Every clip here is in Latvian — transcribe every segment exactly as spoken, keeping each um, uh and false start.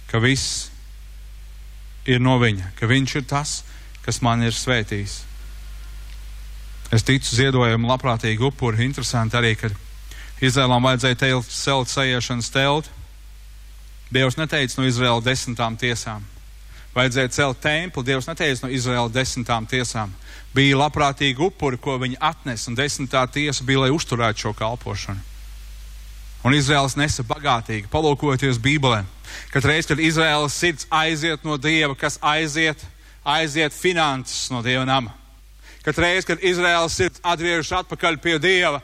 ka viss ir no viņa, ka viņš ir tas, kas man ir svētījis. Es ticu ziedojumu labprātīgi upuri. Interesanti arī, kad Izraēlam vajadzēja teilt, celt sajiešanas telti. Dievs neteica no Izraēla desmitām tiesām. Vajadzēja celt templi. Dievs neteica no Izraēla desmitām tiesām. Bija labprātīgi upuri, ko viņi atnes, un desmitā tiesa bija, lai uzturētu šo kalpošanu. Un Izraēls nesa bagātīgi. Palūkojoties Bībelē, kad reiz, kad Izraēlas sirds aiziet no Dieva, kas aiziet, aiziet finanses no Dieva nama. Kad reiz, kad Izraēlas sirds atgriežas atpakaļ pie Dieva,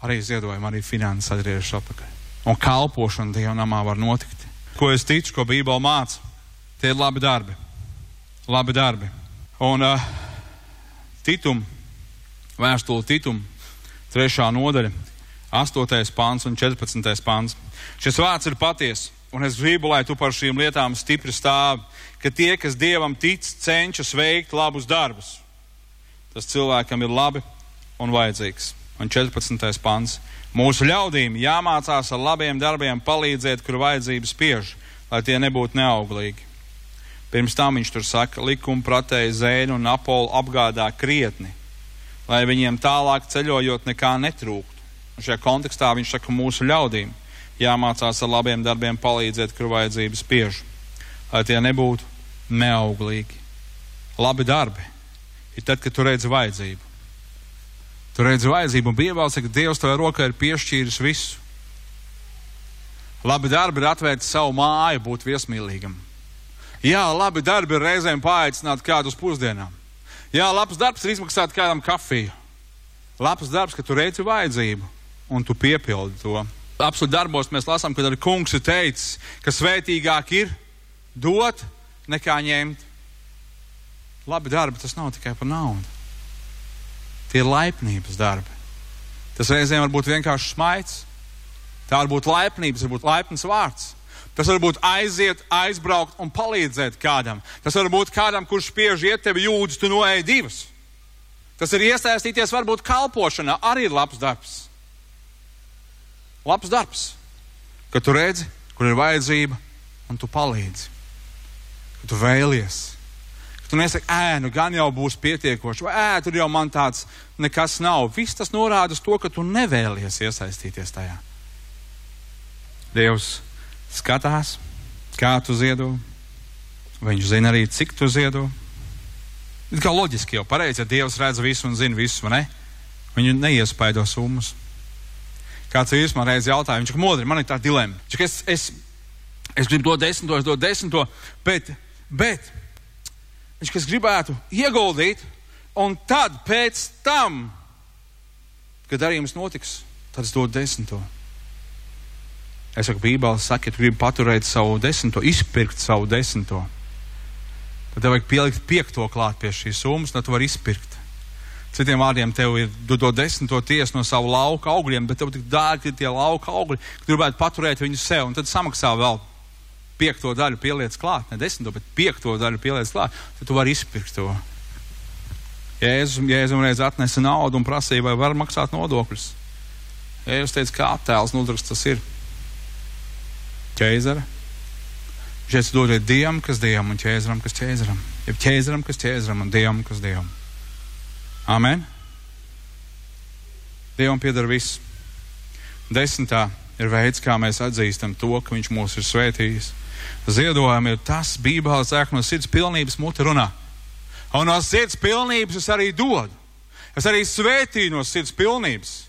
arī ziedojumi, arī finanses atgriežas atpakaļ. Un kalpošana Dieva namā var notikt. Ko es ticu, ko Bībele māca, tie ir labi darbi. Labi darbi. Un uh, Titum, vēstule Titum, trešā nodaļa, astotais pāns un četrpadsmitais pāns. Šis vārds ir paties, un es gribu, lai tu par šīm lietām stipri stāvi, ka tie, kas Dievam tic, cenšas veikt labus darbus. Tas cilvēkam ir labi un vajadzīgs. Un četrpadsmitais pants. Mūsu ļaudīm jāmācās ar labiem darbiem palīdzēt, kur vajadzības spiež, lai tie nebūtu neauglīgi. Pirms tam viņš tur saka, likuma pratēji Zēnu un Apolu apgādā krietni, lai viņiem tālāk ceļojot nekā netrūktu. Un šajā kontekstā viņš saka, mūsu ļaudīm jāmācās ar labiem darbiem palīdzēt, kur vajadzības spiež, lai tie nebūtu neauglīgi. Labi darbi ir tad, kad tu redzi vajadzību. Tu redzi vajadzību, un Bībelē saka, ka Dievs tavai rokai ir piešķīris visu. Labi darbi ir atvērt savu māju, būt viesmīlīgam. Jā, labi darbi ir reizēm paaicināt kādu uz pusdienām. Jā, labs darbs ir izmaksāt kādam kafiju. Labs darbs, ka tu redzi vajadzību, un tu piepildi to. Apsolu darbos mēs lasām, kad arī kungs ir teicis, ka svētīgāk ir dot nekā ņemt. Labi darbi, tas nav tikai par naudu. Tie ir laipnības darbi. Tas reizēm var būt vienkārši smaids. Tā var būt laipnības, var būt laipns vārds. Tas var būt aiziet, aizbraukt un palīdzēt kādam. Tas var būt kādam, kurš spiež iet tevi jūdzes, tu noēji divas. Tas ir iesaistīties varbūt kalpošanā, arī ir labs darbs. Labs darbs. Kad tu redzi, kur ir vajadzība, un tu palīdzi. Kad tu vēlies. Tu nesaki, ē, nu gan jau būs pietiekoši, vai ē, tur jau man tāds nekas nav. Viss tas norāda uz to, ka tu nevēlies iesaistīties tajā. Dievs skatās, kā tu ziedo. Viņš zina arī, cik tu ziedo. Ir kā loģiski jau pareizi, ja Dievs redz visu un zina visu, vai ne? Viņu neiespaido summas. Kāds vīrs man reiz jautāja, viņš saka, modri, man ir tā dilema. Es, es, es gribu dot desmito, es dot desmito, bet, bet, viņš, kas gribētu ieguldīt, un tad pēc tam, kad darījums notiks, tad es dodu desmito. Es saku, Bībele saka, ja tu gribi paturēt savu desmito, izpirkt savu desmito, tad tev vajag pielikt piekto klāt pie šīs summas, tad tu vari izpirkt. Citiem vārdiem, tev ir dot desmito tiesu no savu lauka augļiem, bet tev tik dārgi tie lauka augļi, ka tu gribētu paturēt viņus sev, un tad samaksā vēl piekto daļu pieliec klāt, ne desmito, bet piekto daļu pieliec klāt, tad tu vari izpirkt to. Jēzus, Jēzus reiz atnesa naudu un prasīja, vai var maksāt nodokļus. Jēzus teica, kā attēls nodroks tas ir. Ķēzara. Šeit dodiet Dievam, kas Dievam, un ķēzaram, kas ķēzaram. Jeb ķēzaram, kas ķēzaram, un Dievam, kas Dievam. Amen. Dievam pieder viss. Desmitā ir veids, kā mēs atzīstam to, ka viņš mūs ir svētījis. Ziedojumi ir tas, Bībele saka, no sirds pilnības muti runā. Un no sirds pilnības es arī dodu. Es arī svētīju no sirds pilnības.